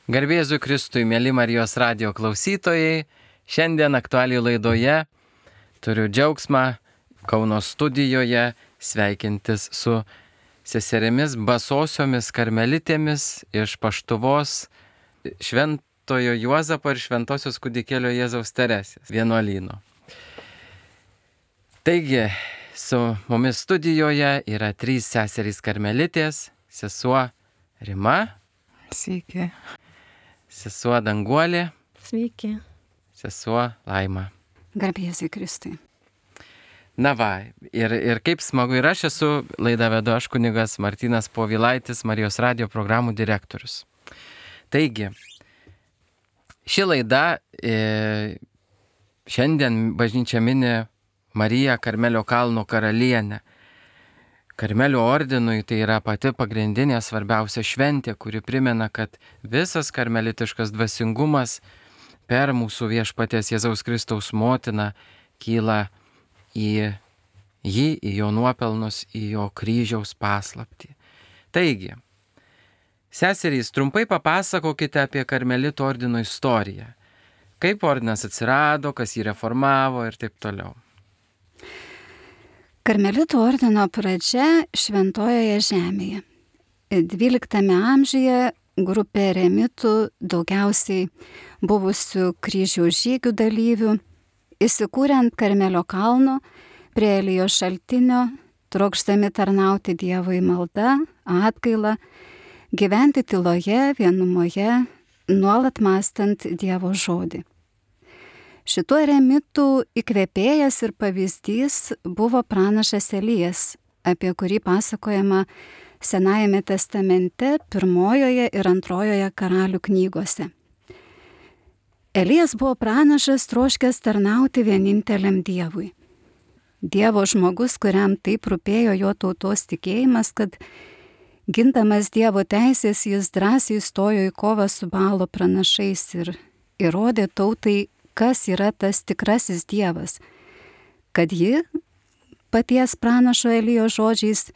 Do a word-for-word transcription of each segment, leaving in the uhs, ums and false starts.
Garbė Jėzui Kristui, mėly Marijos radijo klausytojai, šiandien aktualijų laidoje turiu džiaugsmą Kauno studijoje sveikintis su seserimis basosiomis karmelitėmis iš Paštuvos Šventojo Juozapo ir Šventosios Kūdikėlio Jėzaus Teresės vienuolyno. Taigi, su mumis studijoje yra trys seserys karmelitės, sesuo Rima. Sveiki. Sesuo Danguolė. Sveiki. Sesuo Laima. Garbė Jėzui Kristui. Na va, ir, ir kaip smagu, ir aš esu, laidą vedu aš kunigas Martynas Povilaitis, Marijos radijo programų direktorius. Taigi, ši laida, e, šiandien bažnyčia mini Mariją Karmelio kalno karalienę. Karmelio ordinui tai yra pati pagrindinė svarbiausia šventė, kuri primena, kad visas karmelitiškas dvasingumas per mūsų viešpaties Jėzaus Kristaus motiną kyla į jį, į jo nuopelnus, į jo kryžiaus paslaptį. Taigi, seserys, trumpai papasakokite apie karmelito ordino istoriją. Kaip ordinas atsirado, kas jį reformavo ir taip toliau. Karmelito ordino pradžia Šventojoje žemėje. dvyliktame amžiuje grupė eremitų, daugiausiai buvusių kryžiaus žygių dalyvių, įsikūrė ant Karmelio kalno prie Elijos šaltinio, trokšdami tarnauti Dievui malda, atgaila, gyventi tyloje, vienumoje, nuolat mąstant Dievo žodį. Šitų eremitų įkvėpėjas ir pavyzdys buvo pranašas Elijas, apie kurį pasakojama Senajame testamente pirmojoje ir antrojoje karalių knygose. Elijas buvo pranašas troškęs tarnauti vieninteliam Dievui. Dievo žmogus, kuriam taip rūpėjo jo tautos tikėjimas, kad gindamas Dievo teisės jis drąsiai stojo į kovą su Baalo pranašais ir įrodė tautai, kas yra tas tikrasis Dievas, kad ji, paties pranašo Elijo žodžiais,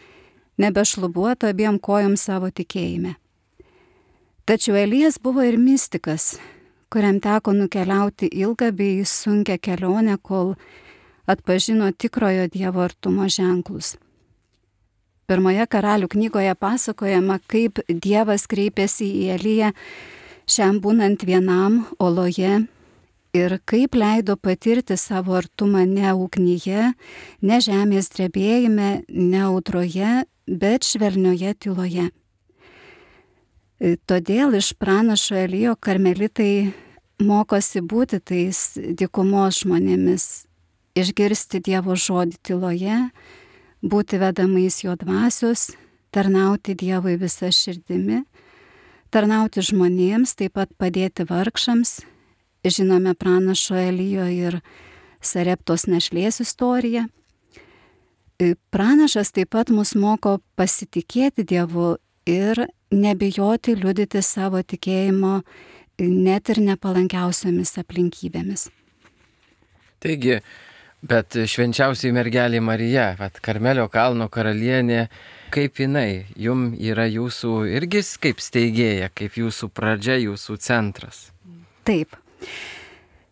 nebešlubuotų abiem kojom savo tikėjime. Tačiau Elijas buvo ir mistikas, kuriam teko nukeliauti ilgą bei sunkią kelionę, kol atpažino tikrojo Dievo artumo ženklus. Pirmoje karalių knygoje pasakojama, kaip Dievas kreipėsi į Eliją šiam būnant vienam oloje ir kaip leido patirti savo artumą ne ugnyje, ne žemės drebėjime, ne audroje, bet švelnioje tyloje. Todėl iš pranašo Elijo karmelitai mokosi būti tais dykumos žmonėmis, išgirsti Dievo žodį tyloje, būti vedamais jo dvasios, tarnauti Dievui visą širdimi, tarnauti žmonėms, taip pat padėti vargšams. Žinome pranašo Elijo ir Sareptos našlės istoriją. Pranašas taip pat mus moko pasitikėti Dievu ir nebijoti liudyti savo tikėjimo net ir nepalankiausiomis aplinkybėmis. Taigi, bet švenčiausiai mergelė Marija, vat Karmelio kalno karalienė, kaip jinai, jum yra jūsų irgi kaip steigėja, kaip jūsų pradžia, jūsų centras? Taip.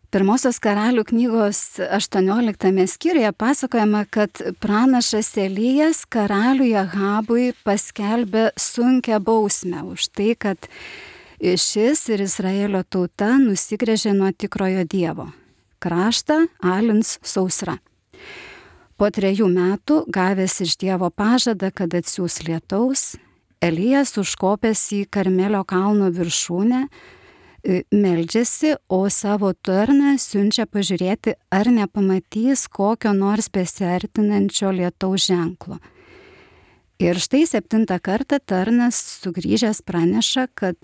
Pirmosios karalių knygos aštuonioliktame skyriuje pasakojama, kad pranašas Elijas karaliui Ahabui paskelbė sunkią bausmę už tai, kad šis ir Izraelio tauta nusigręžė nuo tikrojo Dievo. Kraštą alins sausra. Po trejų metų, gavęs iš Dievo pažadą, kad atsiųs lietaus, Elijas užkopęs į Karmelio kalno viršūnę, meldžiasi, o savo tarną siunčia pažiūrėti, ar nepamatys kokio nors besiartinančio lietaus ženklo. Ir štai septintą kartą tarnas sugrįžęs praneša, kad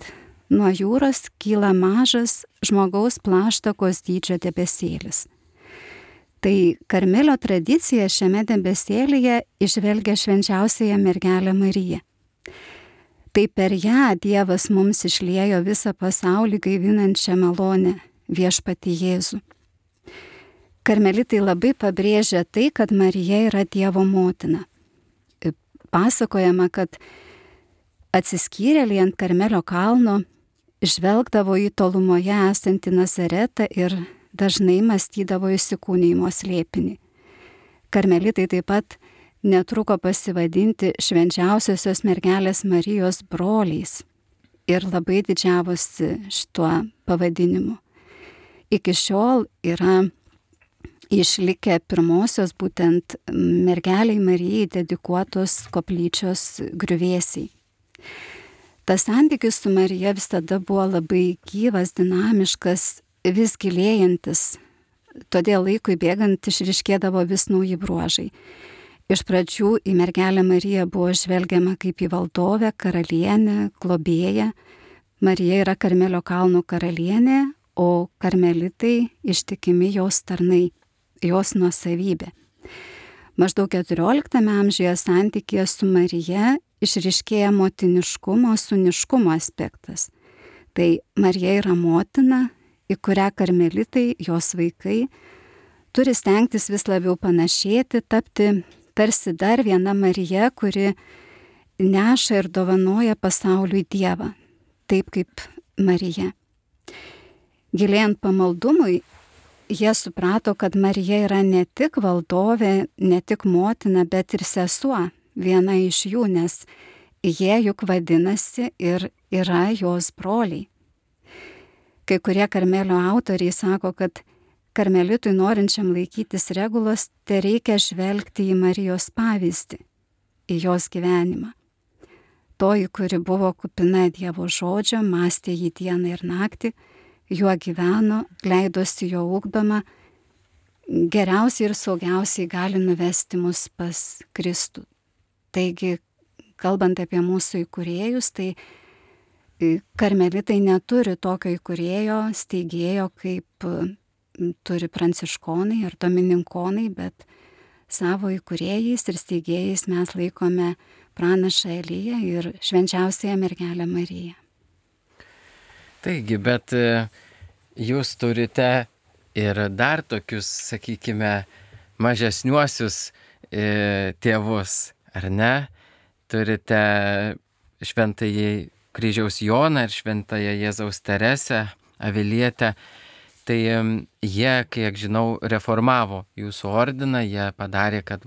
nuo jūros kyla mažas žmogaus plaštakos dydžio debesėlis. Tai Karmelio tradicija šiame debesėlyje išvelgia švenčiausiąją mergelę Mariją. Tai per ją Dievas mums išliejo visą pasaulį gaivinančią malonę, viešpatį Jėzų. Karmelitai labai pabrėžia tai, kad Marija yra Dievo motina. Pasakojama, kad atsiskyrėliai ant Karmelio kalno žvelgdavo į tolumoje esantį Nazaretą ir dažnai mąstydavo įsikūnijimo slėpinį. Karmelitai taip pat netruko pasivadinti švenčiausiosios mergelės Marijos broliais ir labai didžiavosi šituo pavadinimu. Iki šiol yra išlikę pirmosios būtent mergeliai Marijai dedikuotos koplyčios griuvėsiai. Tas santykis su Marija visada buvo labai gyvas, dinamiškas, vis gilėjantis, todėl laikui bėgant išryškėdavo vis nauji bruožai. Iš pradžių į mergelę Mariją buvo žvelgiama kaip į valdovę, karalienę, globėją. Marija yra Karmelio kalnų karalienė, o karmelitai ištikimi jos tarnai, jos nuosavybė. Maždaug keturioliktame amžiuje santykėje su Marija išryškėja motiniškumo, sūniškumo aspektas. Tai Marija yra motina, į kurią karmelitai, jos vaikai, turi stengtis vis labiau panašėti, tapti tarsi dar viena Marija, kuri neša ir dovanoja pasauliui Dievą, taip kaip Marija. Gilėjant pamaldumui, jie suprato, kad Marija yra ne tik valdovė, ne tik motina, bet ir sesuo, viena iš jų, nes jie juk vadinasi ir yra jos broliai. Kai kurie Karmelio autoriai sako, kad karmelitui norinčiam laikytis regulos, tai reikia žvelgti į Marijos pavyzdį, į jos gyvenimą. Toji, kuri buvo kupina Dievo žodžio, mąstė jį dieną ir naktį, juo gyveno, leidosi jo ugdoma, geriausiai ir saugiausiai gali nuvesti mus pas Kristų. Taigi, kalbant apie mūsų įkūrėjus, tai karmelitai neturi tokio įkūrėjo, steigėjo, kaip turi pranciškonai ar domininkonai, bet savo įkūrėjais ir steigėjais mes laikome pranašą Eliją ir švenčiausiąją mergelę Mariją. Taigi, bet jūs turite ir dar tokius, sakykime, mažesniuosius tėvus, ar ne? Turite šventąjį Kryžiaus Joną ir šventąją Jėzaus Teresę, Avilietę. Tai jie, kiek žinau, reformavo jūsų ordiną, jie padarė, kad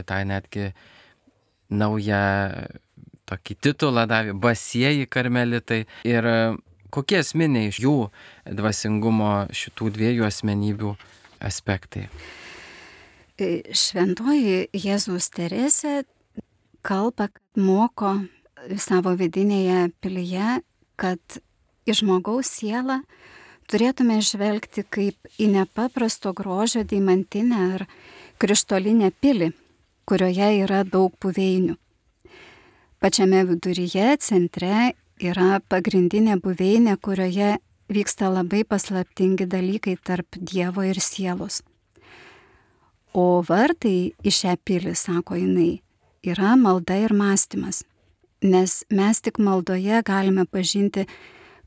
tą netgi naują tokį titulą davė, basieji karmelitai. Ir kokie esminiai iš jų dvasingumo šitų dviejų asmenybių aspektai? Šventoji Jėzaus Teresė kalba, kad moko savo vidinėje pilyje, kad į žmogaus sielą turėtume žvelgti kaip į nepaprasto grožio deimantinę ar krištolinę pilį, kurioje yra daug buveinių. Pačiame viduryje, centre, yra pagrindinė buveinė, kurioje vyksta labai paslaptingi dalykai tarp Dievo ir sielos. O vartai į šią pilį, sako jinai, yra malda ir mąstymas, nes mes tik maldoje galime pažinti,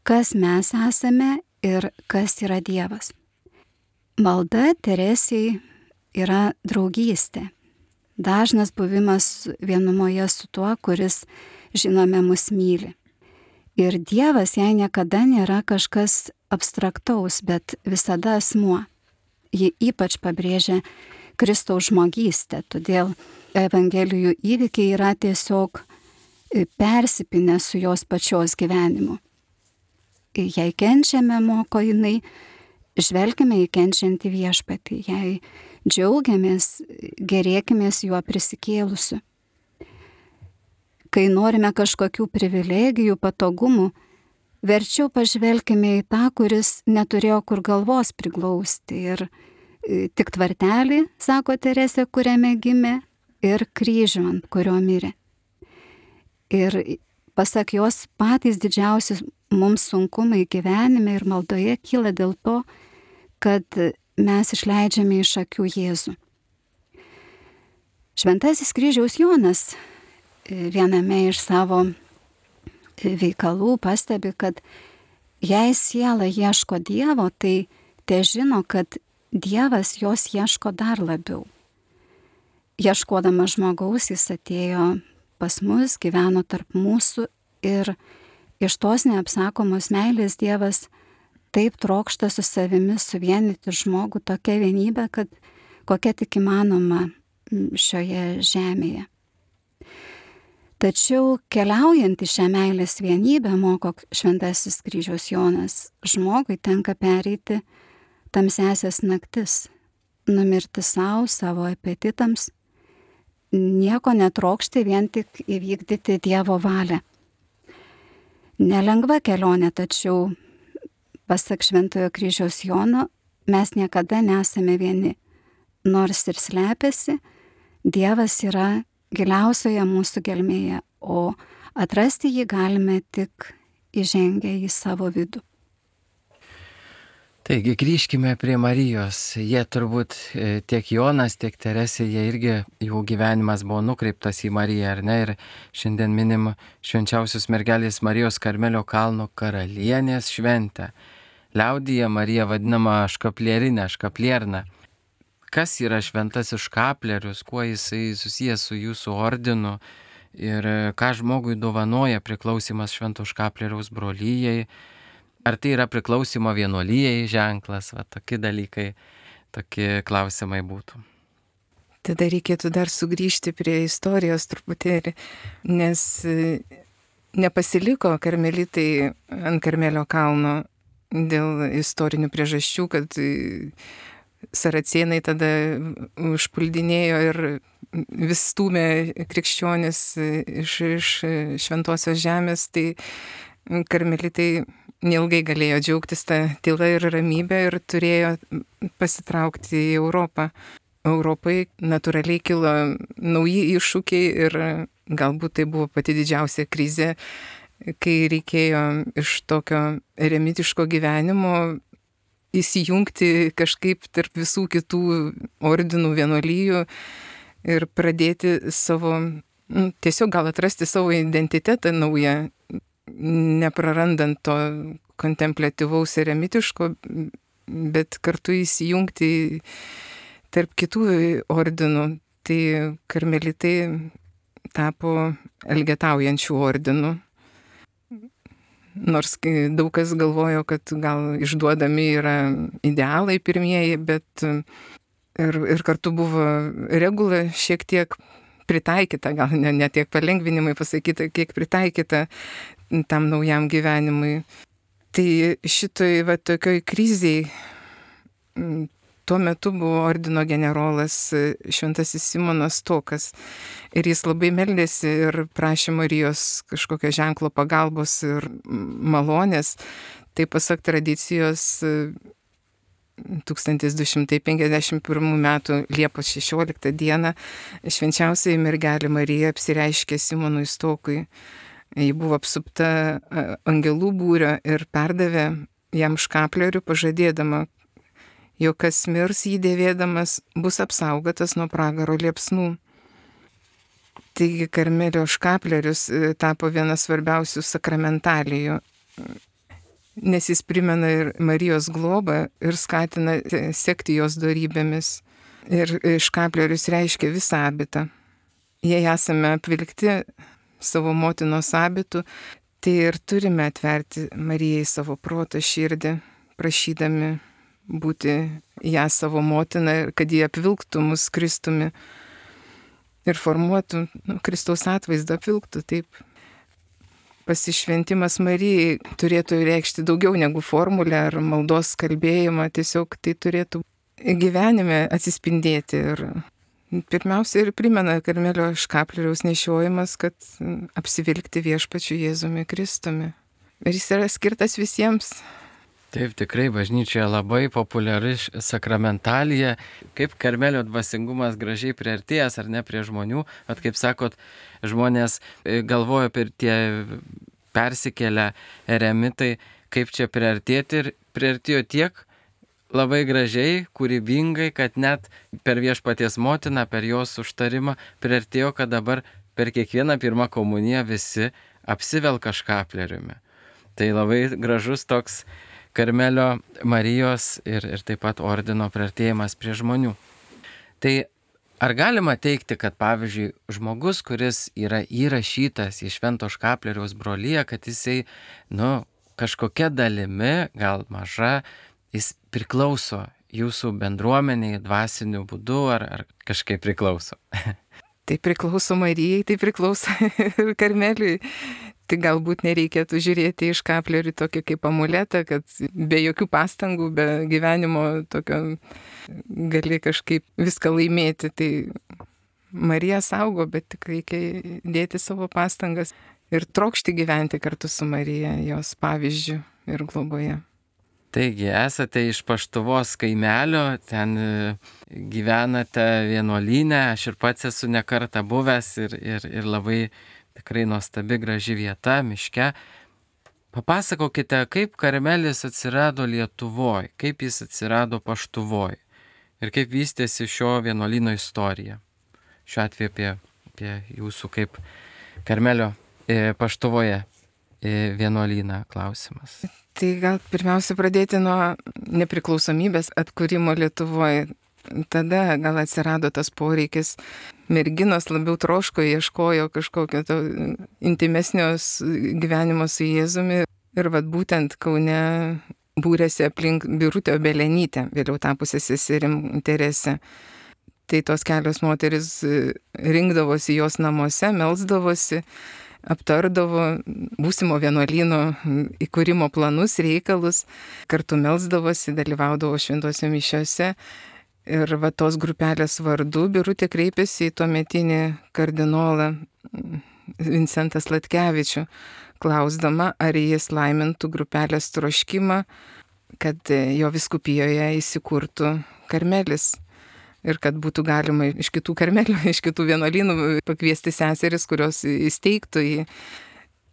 kas mes esame ir kas yra Dievas. Malda Teresei yra draugystė, dažnas buvimas vienumoje su tuo, kuris, žinome, mus myli. Ir Dievas jai niekada nėra kažkas abstraktaus, bet visada asmuo. Ji ypač pabrėžia Kristaus žmogystę, todėl Evangelijų įvykiai yra tiesiog persipinę su jos pačios gyvenimu. Jei kenčiame, moko jinai, žvelgime į kenčiantį viešpatį, jei džiaugiamės, gerėkimės juo prisikėlusiu. Kai norime kažkokių privilegijų, patogumų, verčiau pažvelkime į tą, kuris neturėjo kur galvos priglausti ir tik tvartelį, sako Teresė, kuriame gimė, ir kryžių, ant kurio mirė. Ir pasak jos, patys didžiausi mums sunkumai gyvenime ir maldoje kyla dėl to, kad mes išleidžiame iš akių Jėzų. Šventasis Kryžiaus Jonas viename iš savo veikalų pastebi, kad jei siela ieško Dievo, tai te žino, kad Dievas jos ieško dar labiau. Ieškodamas žmogaus, jis atėjo pas mus, gyveno tarp mūsų ir Iš tos neapsakomos meilės Dievas taip trokšta su savimi suvienyti žmogų tokia vienybė, kad kokia tik įmanoma šioje žemėje. Tačiau keliaujant į šią meilės vienybę, moko Šventasis Kryžiaus Jonas, žmogui tenka pereiti tamsiasias naktis, numirti savo, savo apetitams, nieko netrokšti, vien tik įvykdyti Dievo valią. Nelengva kelionė, tačiau pasak Šventojo Kryžiaus Jono, mes niekada nesame vieni. Nors ir slepiasi, Dievas yra giliausioje mūsų gelmėje, o atrasti jį galime tik įžengę į savo vidų. Taigi grįžkime prie Marijos. Jie turbūt tiek Jonas, tiek Teresė, jie irgi, jų gyvenimas buvo nukreiptas į Mariją, ar ne? Ir šiandien minim švenčiausios mergelės Marijos Karmelio kalno karalienės šventę. Liaudyje Marija vadinama škaplierinė, škaplierna. Kas yra šventasis škaplerius, kuo jisai susijęs su jūsų ordinu ir ką žmogui dovanoja priklausimas švento škapleriaus brolyjei? Ar tai yra priklausimo vienuolijai ženklas, va tokie dalykai, tokie klausimai būtų. Tada reikėtų dar sugrįžti prie istorijos truputėlį, nes nepasiliko karmelitai ant Karmelio kalno dėl istorinių priežasčių, kad saracėnai tada užpuldinėjo ir vis stūmė krikščionis iš, iš šventosios žemės, tai karmelitai neilgai galėjo džiaugtis tą tylą ir ramybę ir turėjo pasitraukti į Europą. Europai natūraliai kilo nauji iššūkiai ir galbūt tai buvo pati didžiausia krizė, kai reikėjo iš tokio eremitiško gyvenimo įsijungti kažkaip tarp visų kitų ordinų, vienuolijų ir pradėti savo, nu, tiesiog gal atrasti savo identitetą naują, neprarandant to kontempliatyvaus eremitiško, bet kartu įsijungti tarp kitų ordinų. Tai karmelitai tapo elgetaujančių ordinų. Nors daug kas galvojo, kad gal išduodami yra idealai pirmieji, bet ir, ir kartu buvo regula šiek tiek pritaikyta, gal ne, ne tiek palengvinimai pasakyta, kiek pritaikyta tam naujam gyvenimui. Tai šitoj va tokioj kriziai tuo metu buvo ordino generolas Šventasis Simonas Stokas ir jis labai meldėsi ir prašė Marijos kažkokio ženklo pagalbos ir malonės. Tai pasak tradicijos tūkstantis du šimtai penkiasdešimt pirmų metų Liepos šešioliktą dieną švenčiausioji mergelė Marija apsireiškė Simonui Stokui. Ji buvo apsupta angelų būrio ir perdavė jam škaplerių, pažadėdama, jog kas mirs jį dėvėdamas bus apsaugotas nuo pragaro liepsnų. Taigi Karmelio škaplerius tapo vienas svarbiausių sakramentalijų, nes jis primena ir Marijos globą ir skatina sekti jos dorybėmis. Ir škaplerius reiškia visą abitą. Jei esame apvilkti savo motinos abitu, tai ir turime atverti Marijai savo protą, širdį, prašydami būti ją savo motiną, kad jie apvilktų mus Kristumi ir formuotų, nu, Kristaus atvaizdą apvilktų taip. Pasišventimas Marijai turėtų reikšti daugiau negu formulę ar maldos kalbėjimą, tiesiog tai turėtų gyvenime atsispindėti. Ir pirmiausia ir primena Karmelio škapleriaus nešiojimas, kad apsivilkti viešpačiu Jėzumi Kristumi. Ir jis yra skirtas visiems. Taip, tikrai bažnyčioje labai populiari sakramentalija, kaip Karmelio dvasingumas gražiai priartėjęs ar ne prie žmonių. At kaip sakot, žmonės galvoja per tie persikėlę eremitai, kaip čia priartėti, ir priartėjo tiek labai gražiai, kūrybingai, kad net per Viešpaties motiną, per jos užtarimą priartėjo, kad dabar per kiekvieną pirmą komuniją visi apsivelka škapleriumi. Tai labai gražus toks Karmelio Marijos ir, ir taip pat ordino priartėjimas prie žmonių. Tai ar galima teikti, kad pavyzdžiui žmogus, kuris yra įrašytas į Švento Škaplieriaus broliją, kad jisai, nu, kažkokia dalimi, gal maža, jis priklauso jūsų bendruomeniai dvasiniu būdu, ar, ar kažkaip priklauso? Tai priklauso Marijai, tai priklauso ir Karmeliui. Tai galbūt nereikėtų žiūrėti į Škaplierį tokį kaip amuletą, kad be jokių pastangų, be gyvenimo tokio gali kažkaip viską laimėti. Tai Marija saugo, bet tik reikia dėti savo pastangas ir trokšti gyventi kartu su Marija, jos pavyzdžiu ir globoje. Taigi, esate iš Paštuvos kaimelio, ten gyvenate vienuolyne, aš ir pats esu ne kartą buvęs ir, ir, ir labai tikrai nuostabi graži vieta, miške. Papasakokite, kaip Karmelis atsirado Lietuvoje, kaip jis atsirado Paštuvoje ir kaip vystėsi šio vienuolyno istorija. Šiuo atveju apie, apie jūsų kaip Karmelio e, Paštuvoje e, vienuolyną klausimas. Tai gal pirmiausia pradėti nuo nepriklausomybės atkūrimo Lietuvoje. Tada gal atsirado tas poreikis. Merginos labiau troško, ieškojo kažkokio to intimesnio gyvenimo su Jėzumi. Ir vat būtent Kaune būrėsi aplink Birutę Obelenytę, vėliau tapusią seserim Teresę. Tai tos kelios moteris rinkdavosi jos namuose, melsdavosi, aptardavo būsimo vienuolyno įkūrimo planus, reikalus, kartu melsdavosi, dalyvaudavo šventose mišiose. Ir va tos grupelės vardu Birutė kreipėsi į tuometinį kardinolą Vincentą Sladkevičių, klausdama, ar jis laimintų grupelės troškimą, kad jo vyskupijoje įsikurtų Karmelis. Ir kad būtų galima iš kitų karmelių, iš kitų vienuolynų pakviesti seseris, kurios įsteigtų jį.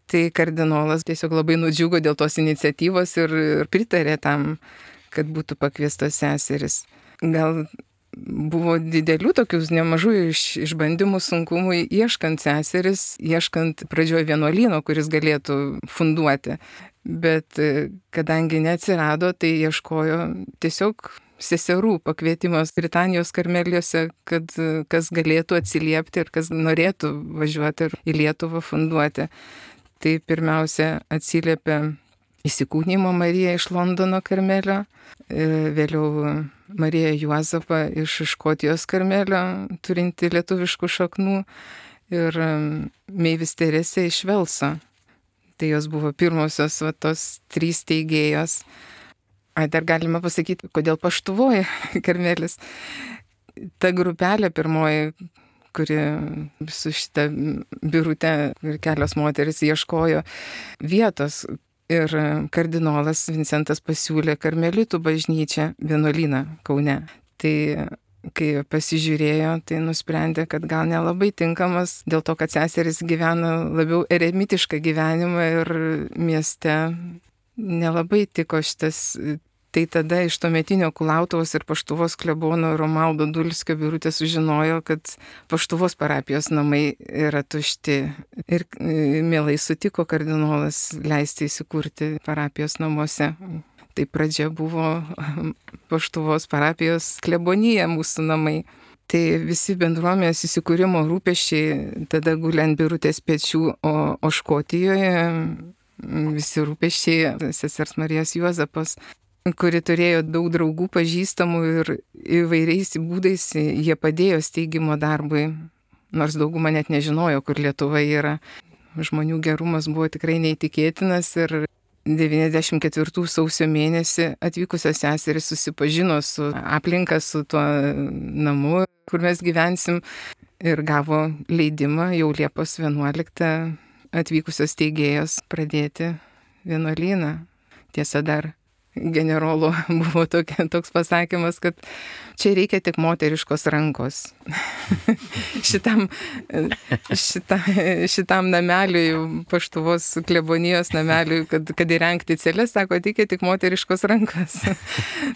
Tai kardinolas tiesiog labai nudžiugo dėl tos iniciatyvos ir, ir pritarė tam, kad būtų pakviestos seseris. Gal buvo didelių tokių nemažų iš, išbandymų sunkumų ieškant seseris, ieškant pradžioje vienuolyno, kuris galėtų funduoti. Bet kadangi neatsirado, tai ieškojo tiesiog seserų pakvietimas Britanijos karmeliuose, kad kas galėtų atsiliepti ir kas norėtų važiuoti į Lietuvą funduoti. Tai pirmiausia atsiliepė įsikūnijimo Marija iš Londono karmelio, vėliau Marija Juozapa iš Škotijos karmelio, turinti lietuviškų šaknų, ir Meivis Teresė iš Velso. Tai jos buvo pirmosios va, tos trys teigėjos. Ai, dar galima pasakyti, kodėl Paštuvoje Karmelis. Ta grupelė pirmoji, kuri su šitą Birutę ir kelios moteris ieškojo vietos. Ir kardinolas Vincentas pasiūlė karmelitų bažnyčią vienuolyną Kaune. Tai kai pasižiūrėjo, tai nusprendė, kad gal nelabai tinkamas, dėl to, kad seseris gyvena labiau eremitišką gyvenimą ir mieste nelabai tiko šitas. Tai tada iš tuometinio Kulautuvos ir Paštuvos klebono Romaldo Dulskio Birutė sužinojo, kad Paštuvos parapijos namai yra tušti. Ir mielai sutiko kardinolas leisti įsikurti parapijos namuose. Tai pradžia buvo Paštuvos parapijos klebonija, mūsų namai. Tai visi bendruomenės įsikūrimo rūpesčiai tada guli ant Birutės pečių, o, o Škotijoje visi rūpesčiai sesers Marijos Juozapos, kuri turėjo daug draugų pažįstamų ir įvairiais būdais jie padėjo steigimo darbui, nors dauguma net nežinojo, kur Lietuva yra. Žmonių gerumas buvo tikrai neįtikėtinas ir devyniasdešimt ketvirtų sausio mėnesį atvykusios seserys susipažino su aplinka, su tuo namu, kur mes gyvensim, ir gavo leidimą jau Liepos vienuoliktą atvykusios teigėjos pradėti vienuolyną. Tiesa, dar generolo buvo tokia, toks pasakymas, kad čia reikia tik moteriškos rankos. šitam, šita, šitam nameliui, Paštuvos klebonijos nameliui, kad, kad įrengti celes, sako, reikia tik moteriškos rankos.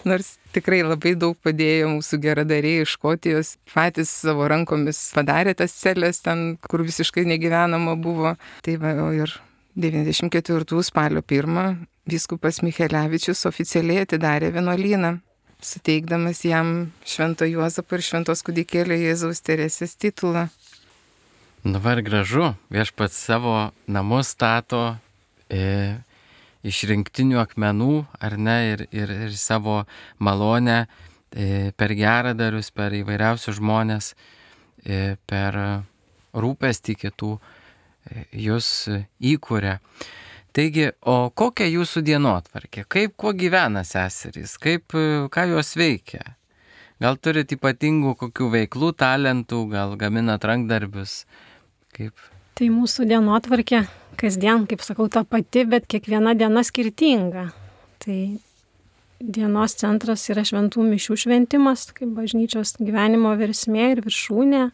Nors tikrai labai daug padėjo mūsų geradariai iš Škotijos, patys savo rankomis padarė tas celes ten, kur visiškai negyvenama buvo. Tai va, ir devyniasdešimt ketvirtų spalio pirmą vyskupas Michelevičius oficialiai atidarė vienuolyną. suteikdamas jam Švento Juozapo ir Šventos kūdikėlio Jėzaus Teresės titulą. Nu var gražu, viešpats savo namus stato e, iš rinktinių akmenų, ar ne, ir, ir, ir savo malonę e, per geradarius, per įvairiausius žmonės, e, per rūpestį kitų e, jūs įkūrė. Taigi, o kokia jūsų dienotvarkė? Kaip, kuo gyvena seserys? Kaip, ką jos veikia? Gal turit ypatingų kokių veiklų, talentų, gal gaminat rankdarbius? Kaip? Tai mūsų dienotvarkė kasdien, kaip sakau, ta pati, bet kiekviena diena skirtinga. Tai dienos centras yra šventų mišių šventimas, kaip bažnyčios gyvenimo versmė ir viršūnė.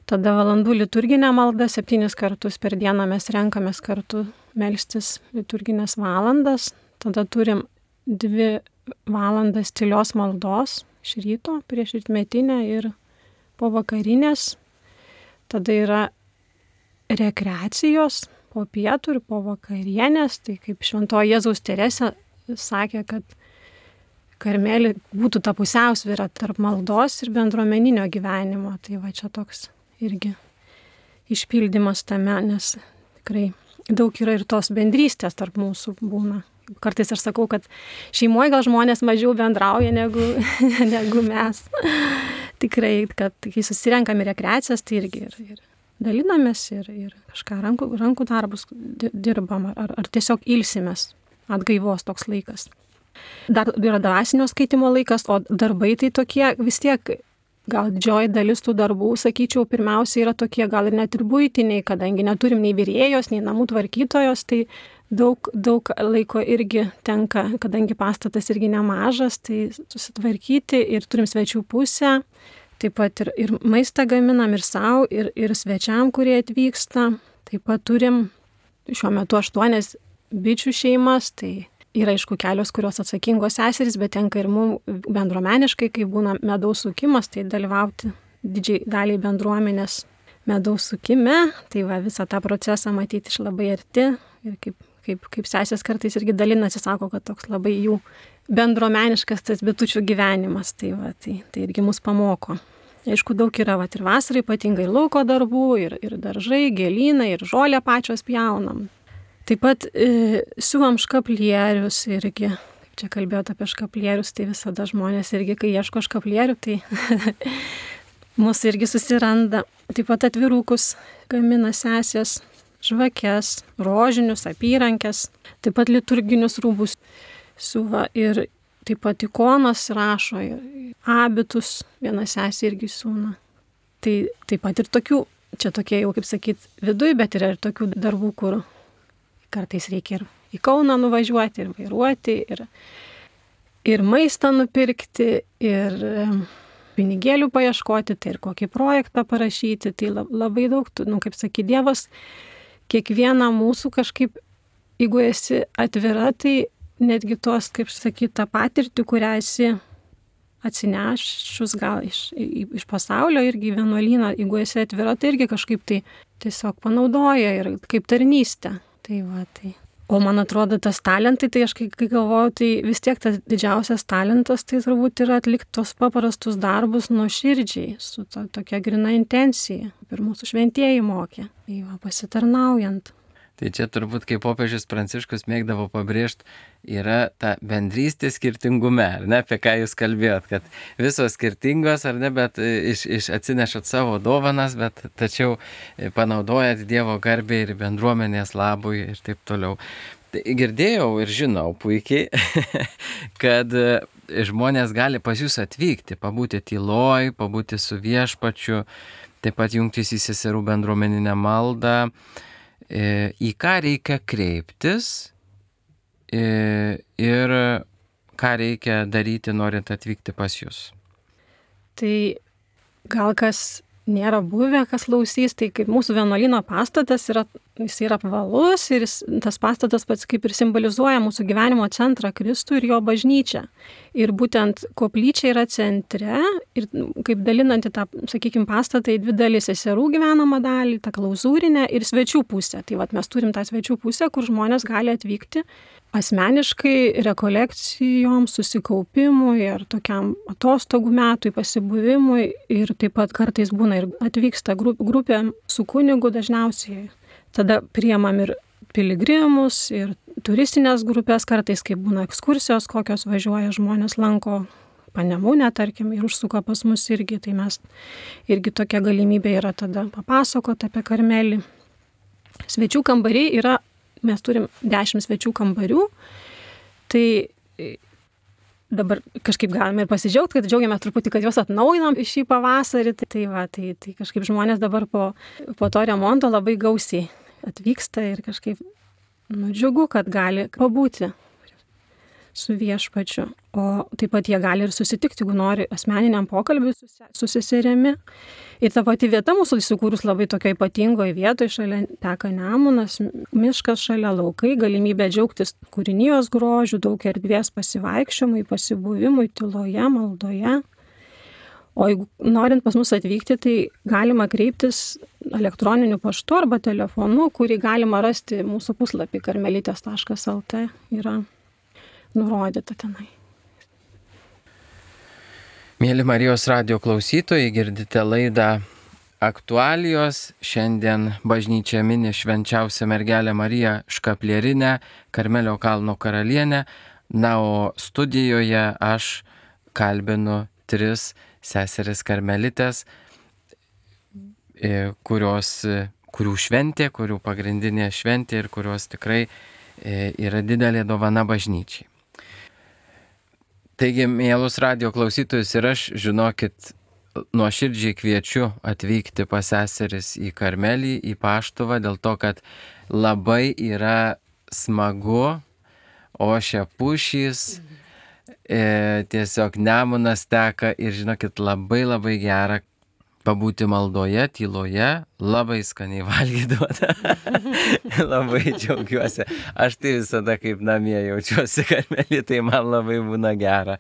Tada valandų liturginė malda, septynis kartus per dieną mes renkamės kartu melstis liturginės valandas. Tada turim dvi valandas tylios maldos iš ryto, prieš rytmetinę ir po vakarinės. Tada yra rekreacijos po pietų ir po vakarienės. Tai kaip Šventoji Jėzaus Teresė sakė, kad Karmelį būtų ta pusiausvyra tarp maldos ir bendruomeninio gyvenimo. Tai va čia toks irgi išpildymas tame, nes tikrai daug yra ir tos bendrystės tarp mūsų būna. Kartais aš sakau, kad šeimoje gal žmonės mažiau bendrauja negu, negu mes. Tikrai, kad kai susirenkam į rekreacijas, tai irgi ir, ir dalinamės ir, ir kažką rankų, rankų darbus dirbam, ar, ar tiesiog ilsimės, atgaivos toks laikas. Dar yra dvasinio skaitimo laikas, o darbai tai tokie vis tiek, gal didžioji dalis tų darbų, sakyčiau, pirmiausia yra tokie gal ir net ir buitiniai, kadangi neturim nei virėjos, nei namų tvarkytojos, tai daug, daug laiko irgi tenka, kadangi pastatas irgi nemažas, tai susitvarkyti ir turim svečių pusę, taip pat ir, ir maistą gaminam ir savo, ir, ir svečiam, kurie atvyksta. Taip pat turim šiuo metu aštuonias bičių šeimas, tai yra aišku kelios, kurios atsakingos seserys, bet tenka ir mums bendruomeniškai, kai būna medaus sukimas, tai dalyvauti didžiai daliai bendruomenės medaus sukime, tai va visą tą procesą matyti iš labai arti ir kaip, kaip, kaip sesės kartais irgi dalinasi, sako, kad toks labai jų bendruomeniškas tas bitučių gyvenimas, tai va, tai, tai irgi mus pamoko. Aišku, daug yra va, ir vasarą ypatingai lauko darbų, ir, ir daržai, gėlynai, ir žolę pačios pjaunam. Taip pat e, siuvam škaplierius irgi, kaip čia kalbėjot apie škaplierius, tai visada žmonės irgi, kai ieško škaplierių, tai mūsų irgi susiranda. Taip pat atvirukus gamina sesės, žvakes, rožinius, apyrankes, taip pat liturginius rūbus siuva ir taip pat ikonas rašo, abitus viena sesė irgi siūna. Tai taip pat ir tokių, čia tokie jau kaip sakyt viduj, bet yra ir tokių darbų, kur kartais reikia ir į Kauną nuvažiuoti, ir vairuoti, ir, ir maistą nupirkti, ir pinigėlių paieškoti, tai ir kokį projektą parašyti. Tai labai daug, nu, kaip sakė Dievas, kiekvieną mūsų kažkaip, jeigu esi atvira, tai netgi tos, kaip sakyti, tą patirtį, kurią esi atsinešus gal iš, iš pasaulio irgi vienuolyną, jeigu esi atvira, tai irgi kažkaip tai tiesiog panaudoja ir kaip tarnystę. Tai va, tai. O man atrodo, tas talentai, tai aš kai, kai galvoju, tai vis tiek tas didžiausias talentas, tai turbūt yra atlikti tos paprastus darbus nuoširdžiai, su to, tokia grina intencija, ir mūsų šventieji mokė, tai va, pasitarnaujant. Tai čia turbūt, kaip popiežius Pranciškus mėgdavo pabrėžti, yra ta bendrystė skirtingume, ar ne, apie ką jūs kalbėjot, kad visos skirtingos, ar ne, bet iš, iš atsinešat savo dovanas, bet tačiau panaudojat Dievo garbei ir bendruomenės labui ir taip toliau. Tai girdėjau ir žinau puikiai, kad žmonės gali pas jūs atvykti, pabūti tyloj, pabūti su viešpačiu, taip pat jungtis į seserų bendruomeninę maldą. Į ką reikia kreiptis ir ką reikia daryti, norint atvykti pas jūs? Tai gal kas nėra buvę, kas klausys, tai kaip mūsų vienuolyno pastatas yra, jis yra apvalus ir jis, tas pastatas pats kaip ir simbolizuoja mūsų gyvenimo centrą Kristų ir jo bažnyčią. Ir būtent koplyčia yra centre ir kaip dalinanti tą, sakykime, pastatą į dvi dalis, seserų gyvenamą dalį, tą klauzūrinę ir svečių pusę. Tai vat mes turim tą svečių pusę, kur žmonės gali atvykti asmeniškai rekolekcijoms, susikaupimui ir tokiam atostogų metui, pasibuvimui. Ir taip pat kartais būna ir atvyksta grupė su kunigu dažniausiai. Tada priemam ir piligrimus, ir turistinės grupės, kartais kaip būna ekskursijos, kokios važiuoja žmonės, lanko Panemunę, tarkim, ir užsuka pas mus irgi. Tai mes irgi tokia galimybė yra tada papasakoti apie Karmelį. Svečių kambariai yra, mes turim dešimt svečių kambarių, tai dabar kažkaip galime ir pasidžiaugti, kad džiaugiamės truputį, kad juos atnaujinam šį pavasarį. Tai, tai, va, tai, tai kažkaip žmonės dabar po, po to remonto labai gausiai atvyksta ir kažkaip nudžiugu, kad gali pabūti su viešpačiu. O taip pat jie gali ir susitikti, jeigu nori asmeniniam pokalbiui su seserimi. Ir ta pati vieta mūsų įsikūrus labai tokio ypatingoje vietoje, šalia teka Nemunas, miškas šalia, laukai, galimybė džiaugtis kūrinijos grožiu, daug erdvės pasivaikščiojimui, pasibuvimui, tyloje, maldoje. O jeigu norint pas mus atvykti, tai galima kreiptis elektroniniu paštu arba telefonu, kurį galima rasti mūsų puslapį karmelitės taškas el tė, yra nurodyta tenai. Mėly Marijos radijo klausytojai, girdite laidą Aktualijos. Šiandien bažnyčia mini švenčiausią mergelę Mariją Škaplierinę, Karmelio kalno karalienę. Na, o studijoje aš kalbinu tris seseris karmelitės, kurios, kurių šventė, kurių pagrindinė šventė ir kurios tikrai yra didelė dovana bažnyčiai. Taigi, mielus radijo klausytojus, ir aš, žinokit, nuoširdžiai kviečiu atvykti pas seseris į Karmelį, į Paštuvą, dėl to, kad labai yra smagu, ošia pušys, e, tiesiog Nemunas teka ir, žinokit, labai labai gera pabūti maldoje, tyloje, labai skaniai valgyti duoda. Labai džiaugiuosi. Aš tai visada kaip namie jaučiuosi Karmelį, tai man labai būna gera.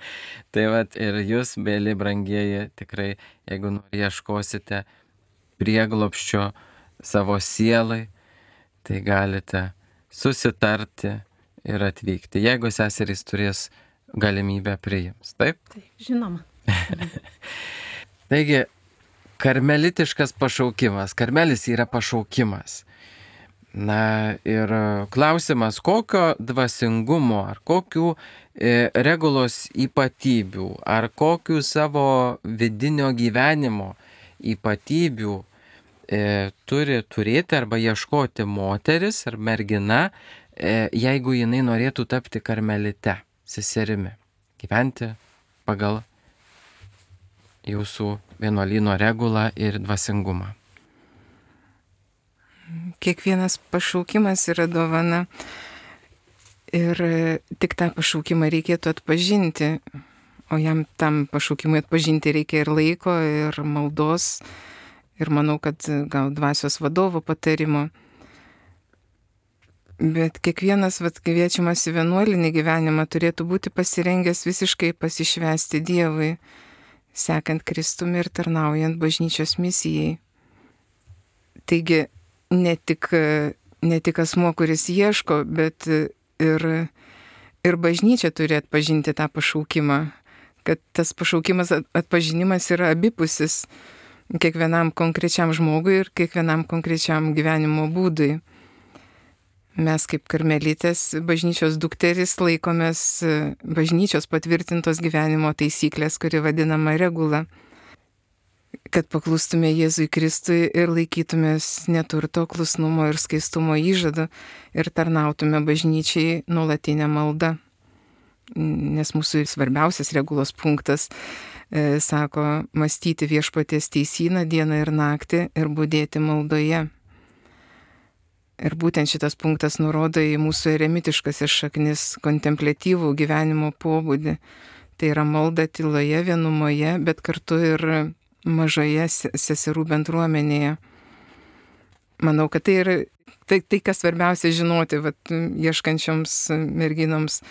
Tai vat ir jūs, mėly brangieji, tikrai, jeigu nori ieškosite prieglobsčio savo sielai, tai galite susitarti ir atvykti, jeigu seserys turės galimybę priims. Taip? Taip, žinoma. Taigi, karmelitiškas pašaukimas. Karmelis yra pašaukimas. Na ir klausimas, kokio dvasingumo, ar kokių e, regulos ypatybių, ar kokių savo vidinio gyvenimo ypatybių e, turi turėti arba ieškoti moteris ar mergina, e, jeigu jinai norėtų tapti karmelite, seserimi, gyventi pagal jūsų vienuolyno regulą ir dvasingumą. Kiekvienas pašaukimas yra dovana ir tik tą pašaukimą reikėtų atpažinti, o jam tam pašaukimui atpažinti reikia ir laiko, ir maldos, ir manau, kad gal dvasios vadovo patarimo. Bet kiekvienas vat, kviečiamas į vienuolinį gyvenimą turėtų būti pasirengęs visiškai pasišvęsti Dievui, sekant Kristumi ir tarnaujant bažnyčios misijai. Taigi, ne tik, ne tik asmuo, kuris ieško, bet ir, ir bažnyčia turi atpažinti tą pašaukimą, kad tas pašaukimas atpažinimas yra abipusis kiekvienam konkrečiam žmogui ir kiekvienam konkrečiam gyvenimo būdui. Mes kaip karmelitės bažnyčios dukteris laikomės bažnyčios patvirtintos gyvenimo taisyklės, kuri vadinama regula, kad paklustume Jėzui Kristui ir laikytumės neturto, klusnumo ir skaistumo įžado ir tarnautume bažnyčiai nuolatinę maldą. Nes mūsų svarbiausias regulos punktas e, sako mąstyti viešpaties teisyną dieną ir naktį ir budėti maldoje. Ir būtent šitas punktas nurodo į mūsų eremitiškasis šaknis kontempliatyvų gyvenimo pobūdį. Tai yra malda tyloje, vienumoje, bet kartu ir mažoje seserų bendruomenėje. Manau, kad tai yra tai, tai kas svarbiausia žinoti, vat, ieškančioms merginoms.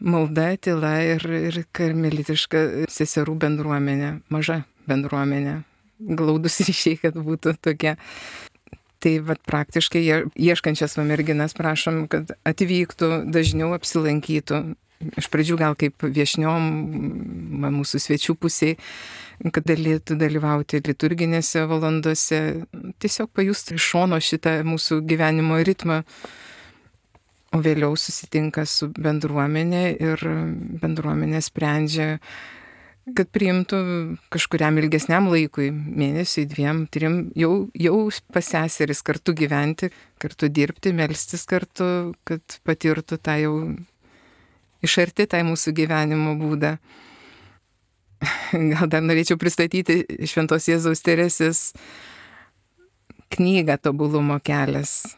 Malda, tyla ir, ir karmelitiška seserų bendruomenė, maža bendruomenė. Glaudus ryšiai, kad būtų tokie. Tai vat, praktiškai ieškančias va merginas prašom, kad atvyktų, dažniau apsilankytų. Iš pradžių gal kaip viešniom mūsų svečių pusiai, kad galėtų dalyvauti liturginėse valandose, tiesiog pajustų iš šono šitą mūsų gyvenimo ritmą, o vėliau susitinka su bendruomenė ir bendruomenė sprendžia, kad priimtų kažkuriam ilgesniam laikui, mėnesiui, dviem, trim, jau, jau pas seseris kartu gyventi, kartu dirbti, melstis kartu, kad patirtų tą jau iš arti tą mūsų gyvenimo būdą. Gal dar norėčiau pristatyti Šventos Jėzaus Teresės knygą Tobulumo kelias.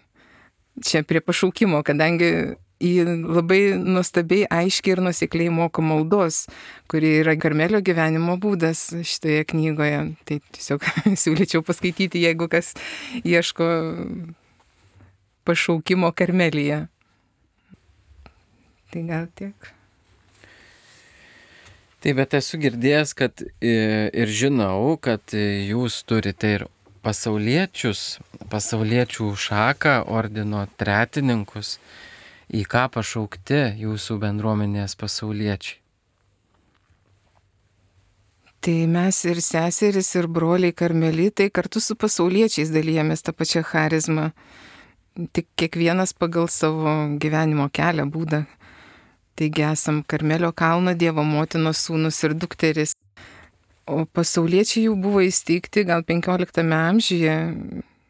Čia prie pašaukimo, kadangi ji labai nuostabiai, aiškiai ir nuosekliai moko maldos, kuri yra Karmelio gyvenimo būdas šitoje knygoje. Tai tiesiog siūlyčiau paskaityti, jeigu kas ieško pašaukimo Karmelyje. Tai gal tiek. Taip, bet esu girdėjęs, kad ir žinau, kad jūs turite ir pasauliečius, pasauliečių šaką, ordino tretininkus. Į ką pašaukti jūsų bendruomenės pasauliečiai? Tai mes ir seseris, ir broliai karmelitai kartu su pasauliečiais dalyjamės tą pačią charizmą. Tik kiekvienas pagal savo gyvenimo kelią, būdą. Taigi esam Karmelio kalno Dievo motinos sūnus ir dukteris. O pasauliečiai jau buvo įsteigti gal penkioliktame amžiuje,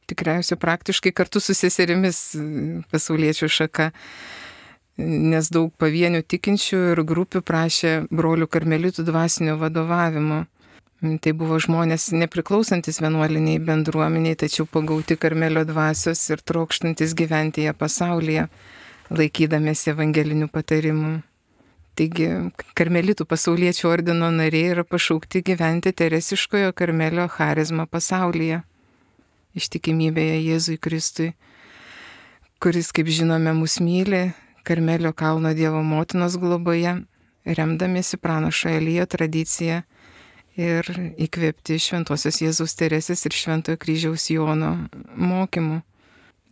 tikriausiai praktiškai kartu su seserimis pasauliečių šaka, nes daug pavienių tikinčių ir grupių prašė brolių karmelitų dvasinio vadovavimo. Tai buvo žmonės nepriklausantis vienuoliniai bendruomeniai, tačiau pagauti Karmelio dvasios ir trokštantis gyventi ją pasaulyje, laikydamiesi evangelinių patarimų. Taigi, karmelitų pasauliečių ordino nariai yra pašaukti gyventi teresiškojo Karmelio charizmą pasaulyje, ištikimybėje Jėzui Kristui, kuris, kaip žinome, mus myli Karmelio kalno Dievo motinos globoje, remdamiesi pranašo Elijo tradiciją ir įkvėpti Šventosios Jėzaus Teresės ir Šventojo kryžiaus Jono mokymų,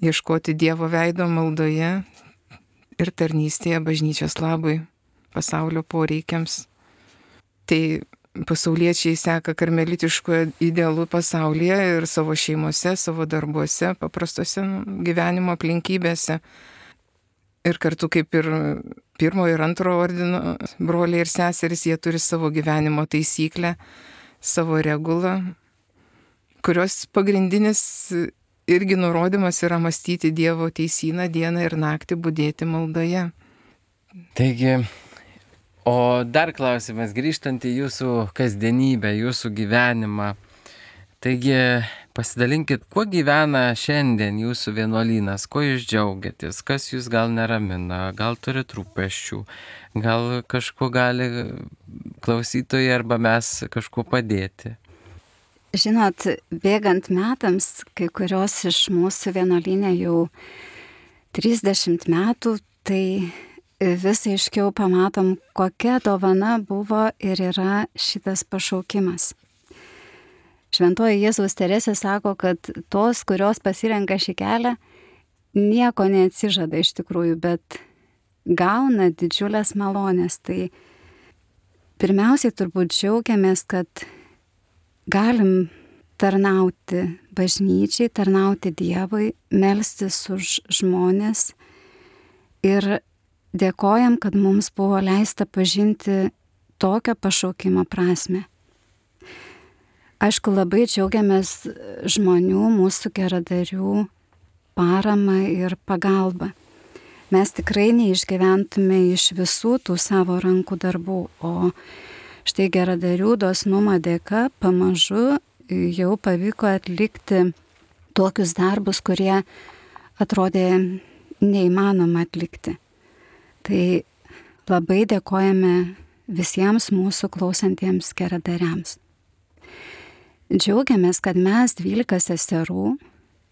ieškoti Dievo veido maldoje ir tarnystėje bažnyčios labui, pasaulio poreikiams. Tai pasauliečiai seka karmelitiško idealų pasaulyje ir savo šeimose, savo darbuose, paprastose gyvenimo aplinkybėse. Ir kartu kaip ir pirmo ir antro ordino broliai ir seserys, jie turi savo gyvenimo taisyklę, savo regulą, kurios pagrindinis irgi nurodymas yra mąstyti Dievo teisyną dieną ir naktį, budėti maldoje. Taigi, o dar klausimas, grįžtant į jūsų kasdienybę, jūsų gyvenimą. Taigi, pasidalinkit, kuo gyvena šiandien jūsų vienuolynas, kuo jūs džiaugiatės, kas jūs gal neramina, gal turit rūpesčių, gal kažko gali klausytojai arba mes kažko padėti. Žinot, bėgant metams, kai kurios iš mūsų vienuolyne jau trisdešimt metų, tai vis aiškiau pamatom, kokia dovana buvo ir yra šitas pašaukimas. Šventoji Jėzaus Teresė sako, kad tos, kurios pasirenka šį kelią, nieko neatsižada iš tikrųjų, bet gauna didžiulės malonės. Tai pirmiausiai turbūt džiaugiamės, kad galim tarnauti bažnyčiai, tarnauti Dievui, melstis už žmonės ir dėkojam, kad mums buvo leista pažinti tokio pašaukimo prasme. Aišku, labai džiaugiamės žmonių, mūsų geradarių paramą ir pagalbą. Mes tikrai neišgyventume iš visų tų savo rankų darbų, o štai geradarių dosnumo dėka pamažu jau pavyko atlikti tokius darbus, kurie atrodė neįmanoma atlikti. Tai labai dėkojame visiems mūsų klausantiems geradariams. Džiaugiamės, kad mes dvylika seserų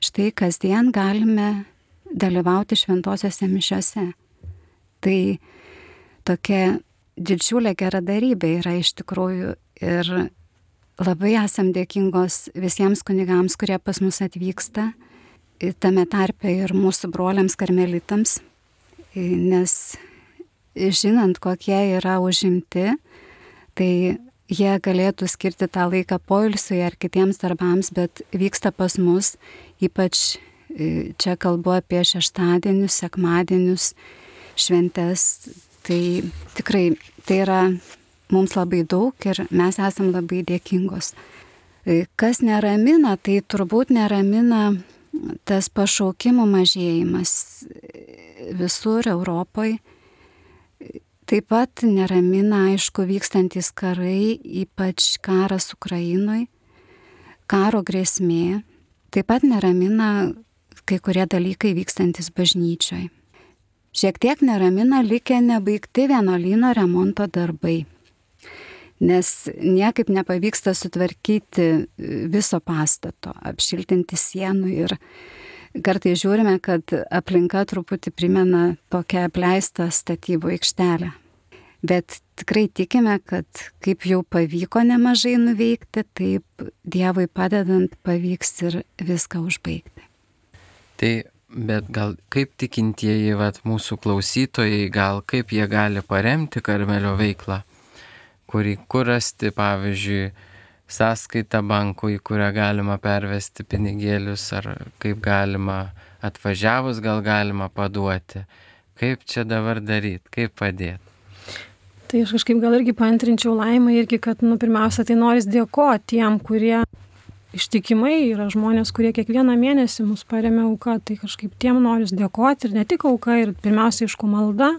štai kasdien galime dalyvauti šventosiose mišiose. Tai tokia didžiulė geradarybė yra iš tikrųjų ir labai esam dėkingos visiems kunigams, kurie pas mus atvyksta tame tarpe ir mūsų broliams karmelitams, nes žinant, kokie yra užimti, tai jie galėtų skirti tą laiką poilsiui ar kitiems darbams, bet vyksta pas mus, ypač čia kalbu apie šeštadienius, sekmadienius, šventes, tai tikrai tai yra mums labai daug ir mes esam labai dėkingos. Kas neramina, tai turbūt neramina tas pašaukimų mažėjimas visur Europoje. Taip pat neramina, aišku, vykstantis karai, ypač karas Ukrainoje, karo grėsmė. Taip pat neramina kai kurie dalykai vykstantis bažnyčioje. Šiek tiek neramina likę nebaigti vienuolyno remonto darbai, nes niekaip nepavyksta sutvarkyti viso pastato, apšiltinti sienų ir kartais žiūrime, kad aplinka truputį primena tokią apleistą statybų aikštelę. Bet tikrai tikime, kad kaip jau pavyko nemažai nuveikti, taip Dievui padedant pavyks ir viską užbaigti. Tai, bet gal kaip tikintieji, vat, mūsų klausytojai, gal kaip jie gali paremti Karmelio veiklą, kurį kur rasti, pavyzdžiui, sąskaitą bankų, į kurią galima pervesti pinigėlius, ar kaip galima atvažiavus gal galima paduoti. Kaip čia dabar daryti, kaip padėti? Tai aš kažkaip gal irgi paantrinčiau Laimą irgi, kad, nu, pirmiausia, tai noris dėkoti tiem, kurie ištikimai yra žmonės, kurie kiekvieną mėnesį mus paremia auka, tai kažkaip tiem noris dėkoti ir ne tik auka, ir pirmiausia, aišku, malda,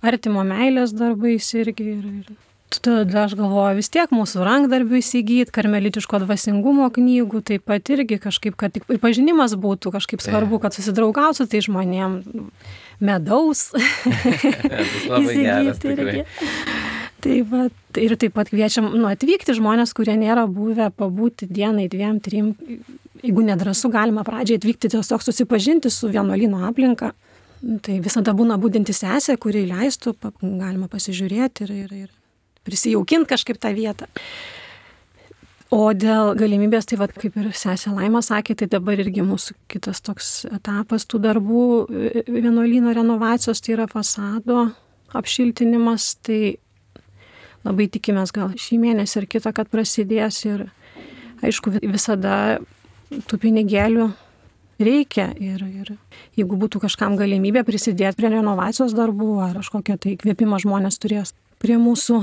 artimo meilės darbais irgi. Ir, ir tada aš galvoju, vis tiek mūsų rankdarbių įsigyti, karmelitiško dvasingumo knygų, taip pat irgi kažkaip, kad ir pažinimas būtų kažkaip svarbu, kad susidraugautų su tai žmonėm, medaus įsigyti irgi. Taip pat, ir taip pat kviečiam nu, atvykti žmonės, kurie nėra buvę, pabūti dienai, dviem, trim, jeigu nedrąsu, galima pradžiai atvykti tiesiog susipažinti su vienuolyno aplinka. Tai visada būna budinti sesė, kuri leistų, galima pasižiūrėti ir, ir, ir prisijaukinti kažkaip tą vietą. O dėl galimybės, tai vat, kaip ir sesė Laima sakė, tai dabar irgi mūsų kitas toks etapas tų darbų vienuolyno renovacijos, tai yra fasado apšiltinimas, tai labai tikimės gal šį mėnesį ir kitą, kad prasidės ir aišku visada tų pinigėlių reikia ir, ir jeigu būtų kažkam galimybė prisidėti prie renovacijos darbų ar kažkokią tai įkvėpimą žmonės turės prie mūsų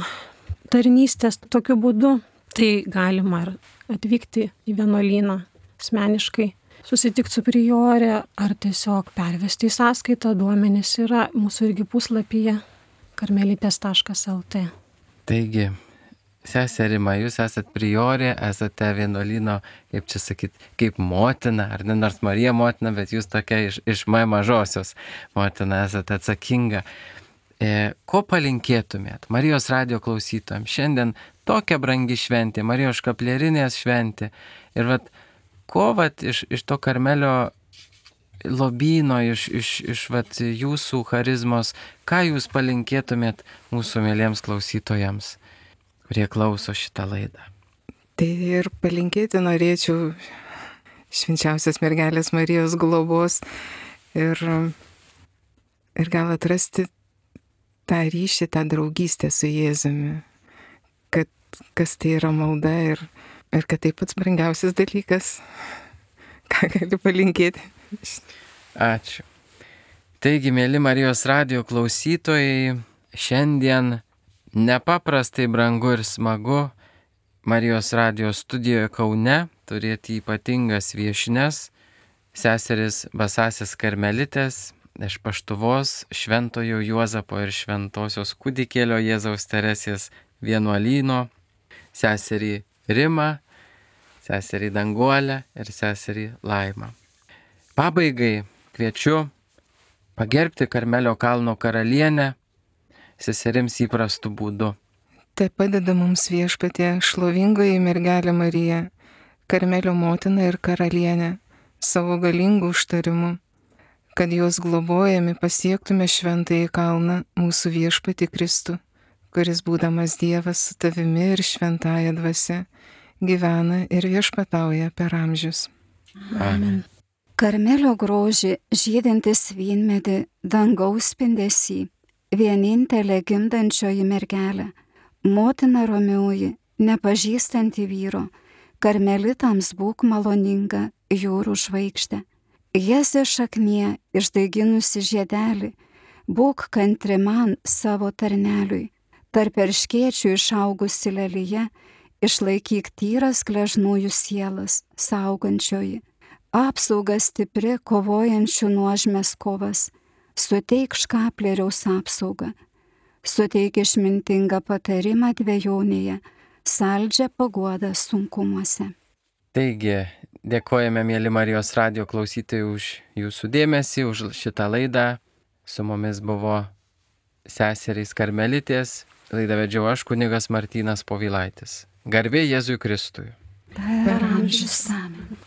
tarnystės tokiu būdu, tai galima ir atvykti į vienuolyną asmeniškai, susitikti su priorė ar tiesiog pervesti į sąskaitą, duomenys yra mūsų irgi puslapyje karmelitės taškas el tė. Taigi, sesė Rima, jūs esat priorė, esate vienuolyno, kaip čia sakyt, kaip motina, ar ne nors Marija motina, bet jūs tokia iš, iš M mažosios motina esate atsakinga. E, ko palinkėtumėt Marijos radijo klausytojams? Šiandien tokia brangi šventė, Marijos škaplierinės šventė. Ir vat, ko vat iš, iš to Karmelio lobyno, iš, iš, iš vat, jūsų charizmos, ką jūs palinkėtumėt mūsų mėlyms klausytojams, kurie klauso šitą laidą? Tai ir palinkėti norėčiau švenčiausios mergelės Marijos globos ir, ir gal atrasti tą ryšį, tą draugystę su Jėzumi, kad kas tai yra malda ir, ir kad tai pats brangiausias dalykas, ką gali palinkėti. Ačiū. Taigi, mėly Marijos radijo klausytojai, šiandien nepaprastai brangu ir smagu Marijos radijo studijoje Kaune turėti ypatingas viešnes, seseris Basasės karmelitės iš Paštuvos, Šventojo Juozapo ir Šventosios kūdikėlio Jėzaus Teresės vienuolyno, seserį Rimą, seserį Danguolę ir seserį Laimą. Pabaigai kviečiu pagerbti Karmelio kalno karalienę seserims įprastų būdų. Tai padeda mums Viešpatie šlovingoji mergelė Marija, Karmelio motina ir karalienė, savo galingų užtarimu, kad jos globojami pasiektume šventąjį kalną mūsų Viešpatį Kristų, kuris būdamas Dievas su tavimi ir šventąja dvasia gyvena ir viešpatauja per amžius. Amen. Karmelio grožį žydintis vynmedį, dangaus spindesį, vienintelė gimdančioji mergelė, motina romioji, nepažįstanti vyro, karmelitams būk maloninga, jūrų žvaigždė. Jėzė šaknie išdaiginusi žiedelį, būk kantri man savo tarneliui, tarp erškėčių išaugusi lelyje, išlaikyk tyras gležnųjų sielas, saugančioji, apsauga stipri kovojančių nuožmės kovas, suteik škaplieriaus apsaugą, suteik išmintingą patarimą dvejonėje, saldžią paguodą sunkumuose. Taigi, dėkojame, mėly Marijos radijo klausytojai, už jūsų dėmesį, už šitą laidą. Su mumis buvo seserys karmelitės, laidą vedžiau aš, kunigas Martynas Povilaitis. Garbė Jėzui Kristui. Per amžius amen.